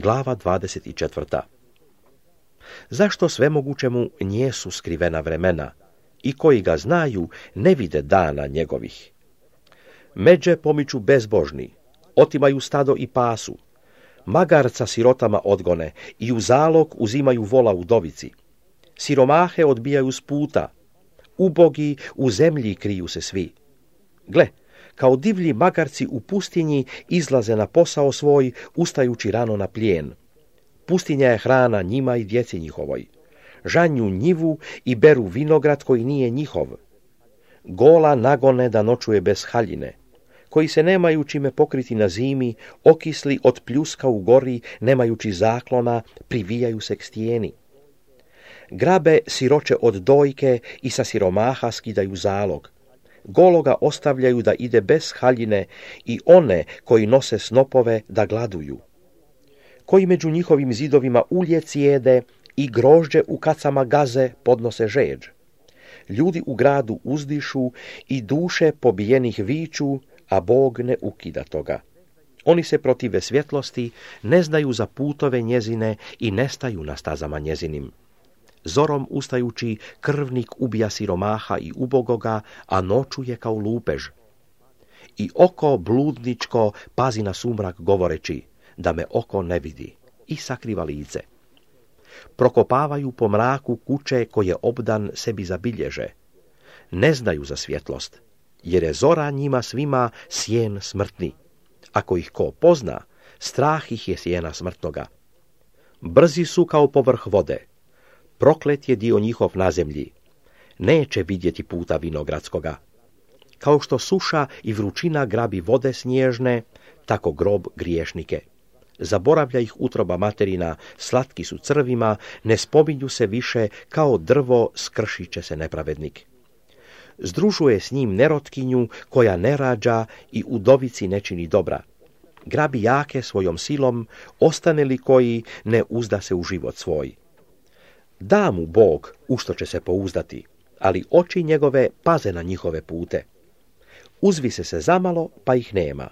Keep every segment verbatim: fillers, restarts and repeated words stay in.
Glava dvadeset četvrta. Zašto svemogućemu njesu skrivena vremena i koji ga znaju ne vide dana njegovih? Međe pomiču bezbožni, otimaju stado i pasu, magarca sirotama odgone i u zalog uzimaju vola udovici. Siromahe odbijaju s puta, ubogi u zemlji kriju se svi. Gle, kao divlji magarci u pustinji izlaze na posao svoj, ustajući rano na plijen. Pustinja je hrana njima i djeci njihovoj. Žanju njivu i beru vinograd koji nije njihov. Gola nagone da noćuje bez haljine, koji se nemaju čime pokriti na zimi, okisli od pljuska u gori, nemajući zaklona, privijaju se k stijeni. Grabe siroče od dojke i sa siromaha skidaju zalog. Gologa ostavljaju da ide bez haljine i one koji nose snopove da gladuju. Koji među njihovim zidovima ulje cijede i grožđe u kacama gaze podnose žeđ. Ljudi u gradu uzdišu i duše pobijenih viču, a Bog ne ukida toga. Oni se protive svjetlosti, ne znaju za putove njezine i nestaju na stazama njezinim. Zorom ustajući, krvnik ubija siromaha i ubogoga, a noću je kao lupež. I oko bludničko pazi na sumrak govoreći, da me oko ne vidi, i sakriva lice. Prokopavaju po mraku kuće koje obdan sebi zabilježe. Ne znaju za svjetlost, jer je zora njima svima sjen smrtni. Ako ih ko pozna, strah ih je sjena smrtnoga. Brzi su kao povrh vode. Proklet je dio njihov na zemlji. Neće vidjeti puta vinogradskoga. Kao što suša i vrućina grabi vode snježne, tako grob griješnike. Zaboravlja ih utroba materina, slatki su crvima, ne spominju se više, kao drvo skršit će se nepravednik. Združuje s njim nerotkinju koja ne rađa i udovici ne čini dobra. Grabi jake svojom silom, ostane li koji ne uzda se u život svoj. Da mu Bog u što će se pouzdati, ali oči njegove paze na njihove pute. Uzvise se zamalo, pa ih nema.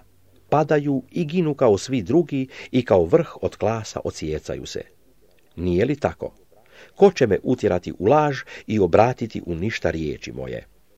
Padaju i ginu kao svi drugi i kao vrh od klasa ocijecaju se. Nije li tako? Ko će me utjerati u laž i obratiti u ništa riječi moje?